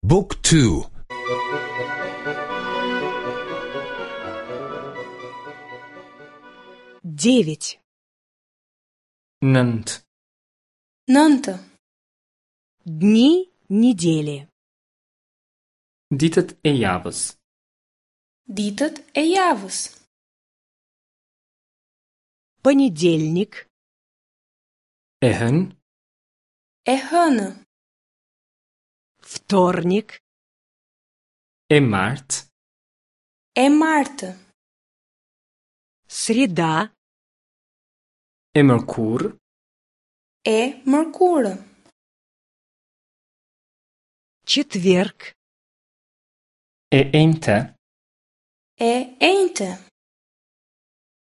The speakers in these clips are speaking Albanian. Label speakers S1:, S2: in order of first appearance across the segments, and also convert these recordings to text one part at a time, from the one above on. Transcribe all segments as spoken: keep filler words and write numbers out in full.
S1: Book two.
S2: Девять.
S3: Nëntë.
S4: Nëntë.
S2: Дни недели.
S3: Ditët e javës.
S4: Ditët e javës.
S2: Понедельник.
S3: E hënë.
S4: E hënë.
S2: Вторник.
S3: E martë.
S4: E martë.
S2: Среда.
S3: E mërkurë.
S4: E mërkurë.
S2: Четверг.
S3: E enjte.
S4: E enjte.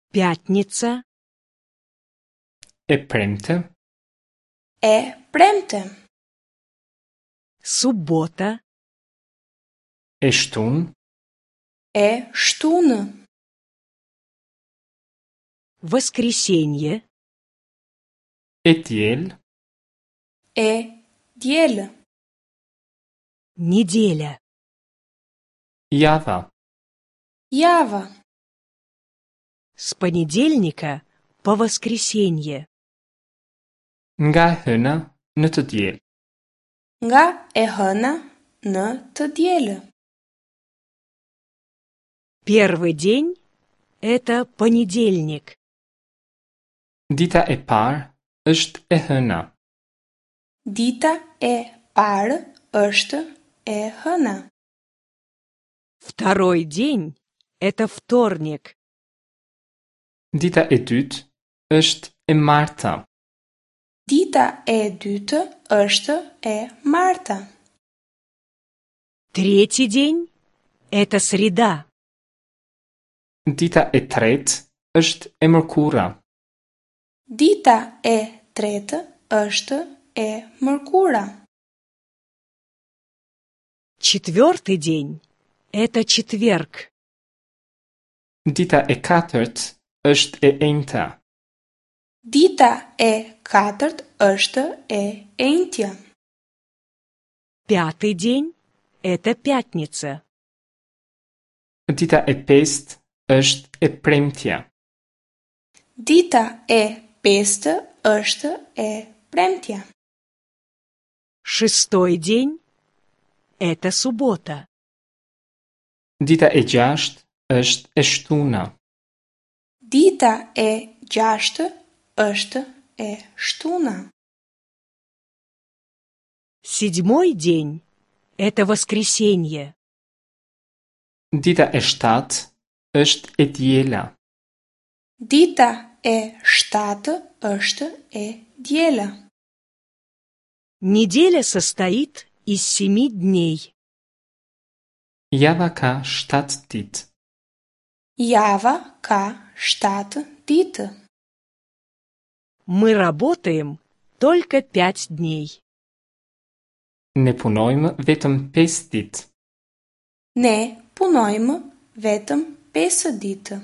S2: Пятница.
S3: E premte.
S4: E premte.
S2: Суббота.
S3: E shtunë.
S4: E shtunë.
S2: Воскресенье.
S3: E diel.
S4: E diel.
S2: Неделя.
S3: Java.
S4: Java.
S2: С понедельника по воскресенье.
S3: Nga e hëna në të diel.
S4: Nga e hëna në të diel.
S2: Первый день – это понедельник.
S3: Dita e parë është e hëna.
S4: Dita e parë është e hëna.
S2: Второй день – это вторник.
S3: Dita e dytë është e marta.
S4: Dita e dytë është e marta.
S2: Третий день – это среда.
S3: Dita e tretë është e mërkura.
S4: Dita e tretë është e mërkura.
S2: Четвертый день – это четверг.
S3: Dita e katërt është e enjta.
S4: Dita e katërt është e enjtja.
S2: Пятый день – это пятница.
S3: Dita e pestë është e premtja.
S4: Dita e pestë është e premtja.
S2: Шестой день – это суббота.
S3: Dita e gjashtë është e shtuna.
S4: Dita e gjashtë është e shtuna.
S2: Седьмой день – это воскресенье.
S3: Dita e shtatë është e diela.
S4: Dita e shtatë është e diela.
S2: Неделя состоит из семи дней.
S3: Java ka shtatë ditë.
S4: Java ka shtatë ditë.
S2: Мы работаем только пять дней.
S3: Ne punojmë vetëm pesë ditë.
S4: Ne punojmë vetëm pesë ditë.